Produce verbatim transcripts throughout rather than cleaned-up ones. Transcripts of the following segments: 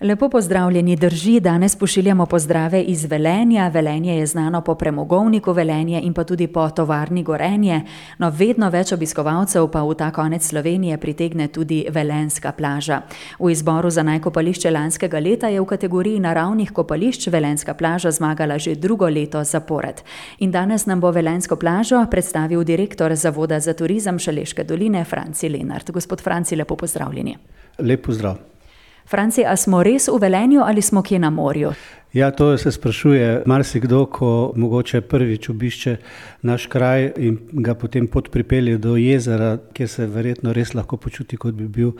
Lepo pozdravljeni, drži, danes pošiljamo pozdrave iz Velenja. Velenje je znano po premogovniku Velenje in pa tudi po tovarni Gorenje. No, vedno več obiskovalcev pa v ta konec Slovenije pritegne tudi velenjska plaža. V izboru za najkopališče lanskega leta je v kategoriji naravnih kopališč velenjska plaža zmagala že drugo leto zapored. In danes nam bo velenjsko plažo predstavil direktor Zavoda za turizem Šaleške doline, Franci Lenart. Gospod Franci, lepo pozdravljeni. Lep pozdrav. Franci, a smo res v Velenju ali smo kje na morju? Ja, to se sprašuje marsikdo, ko mogoče prvič obišče naš kraj in ga potem pot pripelje do jezera, kjer se verjetno res lahko počuti, kot bi bil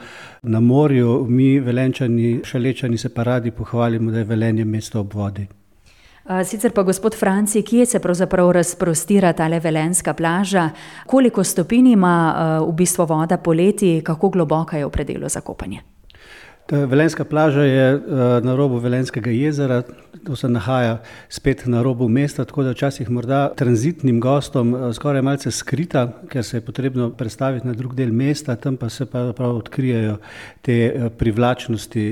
na morju. Mi, Velenjčani, Šalečani, se pa radi pohvalimo, da je Velenje mesto ob vodi. Sicer pa, gospod Franci, kje se pravzaprav razprostira tale velenjska plaža? Koliko stopinj ima v bistvu voda poleti, kako globoka je v predelu za kopanje? Ta velenjska plaža je na robu Velenjskega jezera, to se nahaja spet na robu mesta, tako da včasih morda tranzitnim gostom skoraj malce skrita, ker se je potrebno prestaviti na drug del mesta, tam pa se pa prav odkrijejo te privlačnosti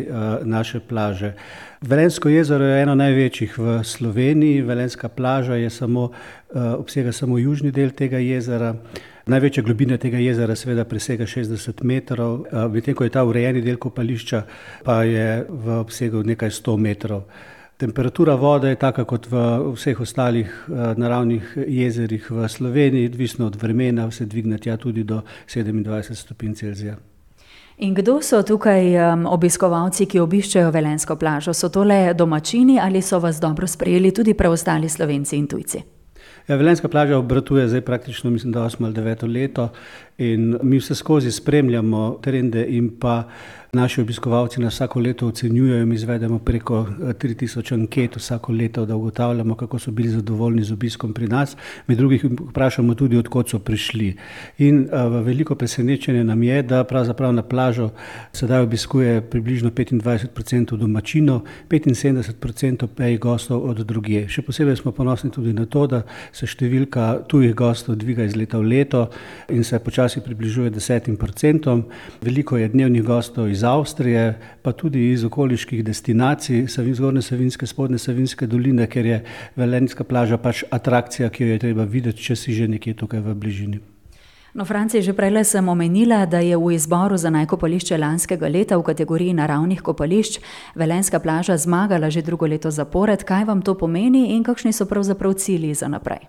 naše plaže. Velenjsko jezero je eno največjih v Sloveniji, velenjska plaža je samo, obsega samo južni del tega jezera. Največja globina tega jezera seveda presega šestdeset metrov, medtem ko je ta urejeni del kopališča pa je v obsegu nekaj sto metrov. Temperatura vode je taka kot v vseh ostalih naravnih jezerih v Sloveniji, odvisno od vremena, se dvigne tja tudi do sedemindvajset stopinj Celzija. In kdo so tukaj obiskovalci, ki obiščejo velenjsko plažo? So to le domačini ali so vas dobro sprejeli tudi preostali Slovenci in tujci? Ja, velenjska plaža obratuje zdaj praktično, mislim, da osmo ali deveto leto in mi vse skozi spremljamo trende in pa naši obiskovalci nas vsako leto ocenjujejo. Mi izvedemo preko tri tisoč anket vsako leto, da ugotavljamo, kako so bili zadovoljni z obiskom pri nas. Med drugih vprašamo tudi, od kod so prišli. In uh, veliko presenečenje nam je, da pravzaprav na plažo sedaj obiskuje približno petindvajset procentov domačinov, petinsedemdeset procentov pa je gostov od drugje. Še posebej smo ponosni tudi na to, da se številka tujih gostov dviga iz leta v leto in se počasi približuje desetim procentom. Veliko je dnevnih gostov iz Avstrije, pa tudi iz okoliških destinacij, Zgornje Savinjske, Spodnje Savinjske doline, ker je velenjska plaža pač atrakcija, ki jo je treba videti, če si že nekje tukaj v bližini. No, Franci, že prej sem omenila, da je v izboru za najkopališče lanskega leta v kategoriji naravnih kopališč velenjska plaža zmagala že drugo leto zapored. Kaj vam to pomeni in kakšni so pravzaprav cilji za naprej?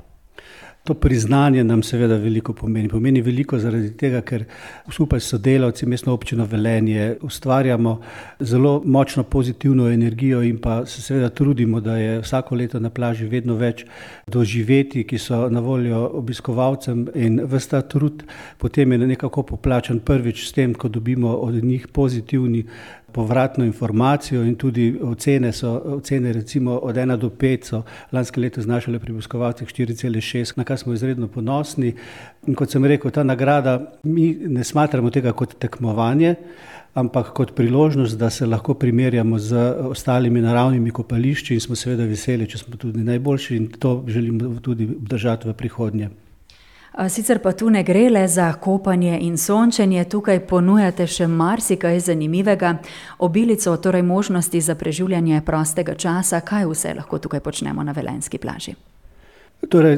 To priznanje nam seveda veliko pomeni. Pomeni veliko zaradi tega, ker skupaj s sodelavci Mestno občino Velenje ustvarjamo zelo močno pozitivno energijo in pa se seveda trudimo, da je vsako leto na plaži vedno več doživeti, ki so na voljo obiskovalcem, in ves ta trud potem je nekako poplačan prvič s tem, ko dobimo od njih pozitivni povratno informacijo in tudi ocene so, ocene recimo od ena do pet so lansko leto znašale pri obiskovalcih štiri cela šest, na kar smo izredno ponosni. In kot sem rekel, ta nagrada, mi ne smatramo tega kot tekmovanje, ampak kot priložnost, da se lahko primerjamo z ostalimi naravnimi kopališči in smo seveda veseli, če smo tudi najboljši, in to želimo tudi obdržati v prihodnje. Sicer pa tu ne gre le za kopanje in sončenje, tukaj ponujate še marsikaj zanimivega, obilico, torej možnosti za preživljanje prostega časa. Kaj vse lahko tukaj počnemo na velenjski plaži? Torej,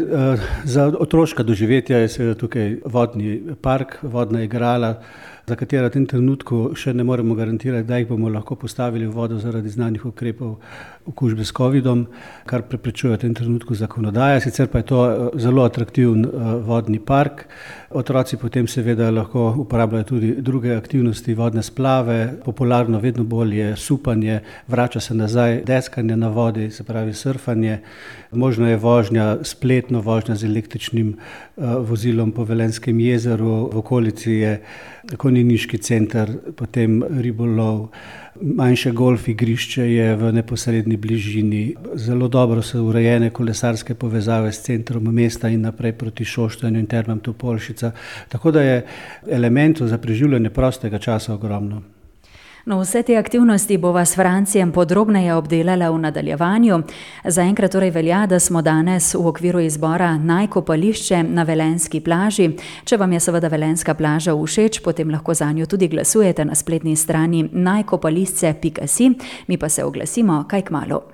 za otroška doživetja je seveda tukaj vodni park, vodna igrala, za katera v tem trenutku še ne moremo garantirati, da jih bomo lahko postavili v vodo zaradi znanih ukrepov okužbe s covidom, kar preprečuje v tem trenutku zakonodaja. Sicer pa je to zelo atraktiven vodni park. Otroci potem seveda lahko uporabljajo tudi druge aktivnosti, vodne splave, popularno vedno bolj je supanje, vrača se nazaj deskanje na vodi, se pravi surfanje. Možno je vožnja, spletno vožnja z električnim vozilom po Velenjskem jezeru, v okolici je konjeniški center, potem ribolov, manjše golf igrišče je v neposredni bližini. Zelo dobro so urejene kolesarske povezave s centrom mesta in naprej proti Šoštanju in Termam Topolšica. Tako da je elementov za preživljanje prostega časa ogromno. No, vse te aktivnosti bova s Francijem podrobneje obdelala v nadaljevanju. Zaenkrat torej velja, da smo danes v okviru izbora Najkopališče na Velenjski plaži. Če vam je seveda Velenjska plaža všeč, potem lahko zanjo tudi glasujete na spletni strani najkopališče pika si. Mi pa se oglasimo kaj kmalu.